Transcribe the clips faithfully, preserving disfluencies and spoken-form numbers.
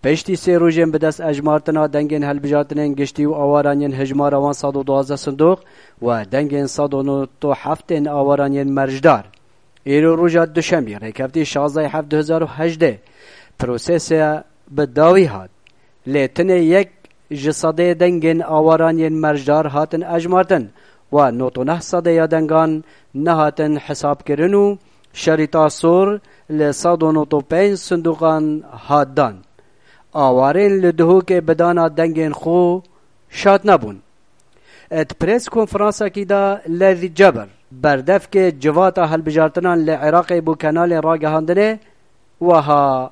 Piştî sê rojên bi dest ejmartina dengên hilbijartinên giştî û awaran yên hijmara wan sed û duwazdeh sindoq û dengên sed û nod û heft ên awaran yên mercdar, îro roja duşemî, rêkeftiya şazdeh heft du hezar û hejdeh, prosese bi dawî hat. Lê tenê yek ji sedê dengên awaran yên mercdar hatin ejmartin û nod û neh sedê ya dengan nehatin hesabkirin û şerîta sor li sed û nod û pênc sindoqan hat dan. Awarên li Duhokê bi dana dengên xwe şad nebûn. Di pres konferansekî de Levî Cebir, berdevkê civata hilbijartinan li Iraqê bo kanalên ragihandinê, wiha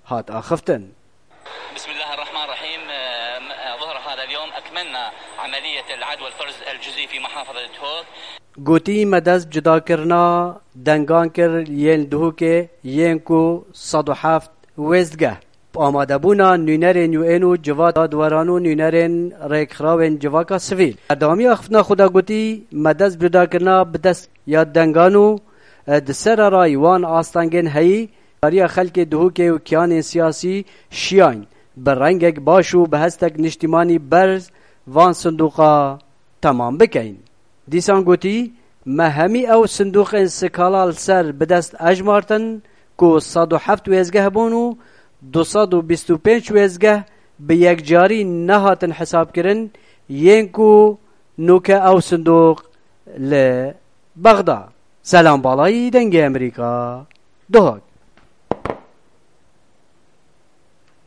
hat axiftin. بسم الله الرحمن الرحيم. آه، ظهر هذا اليوم أكملنا عملية العد والفرز الجزئي في محافظة دهوك. Gotî, me dest cudakirina dengan kir yên Duhokê, yên ku sed û heft wêzdgeh. Bi amadebûna nûnerên U N û civata dadweran û nûnerên rêkxirawên civaka sivîl. Berdewamiya axiftina xwe de gotî, me dest cudakirina bi dest ya dengan û, e, di sererayî wan astengên heyî, kariya xelkê Duhokê û kiyanên siyasî şiyayîn, bi rengek baş û bi hestek niştîmanî berz van sindoqa temam bikeyn. Dîsan gotî, me hemî ew sindoqên skala li ser bi dest ejmartin ku sed û heft wêzgeh bûn û du sed û bîst û pênc wêzgeh bi yekcarî nehatin hesabkirin, yên ku nûke ew sindoq li Bexda. Selam Balayî, Dengê Amerîka, Duhok.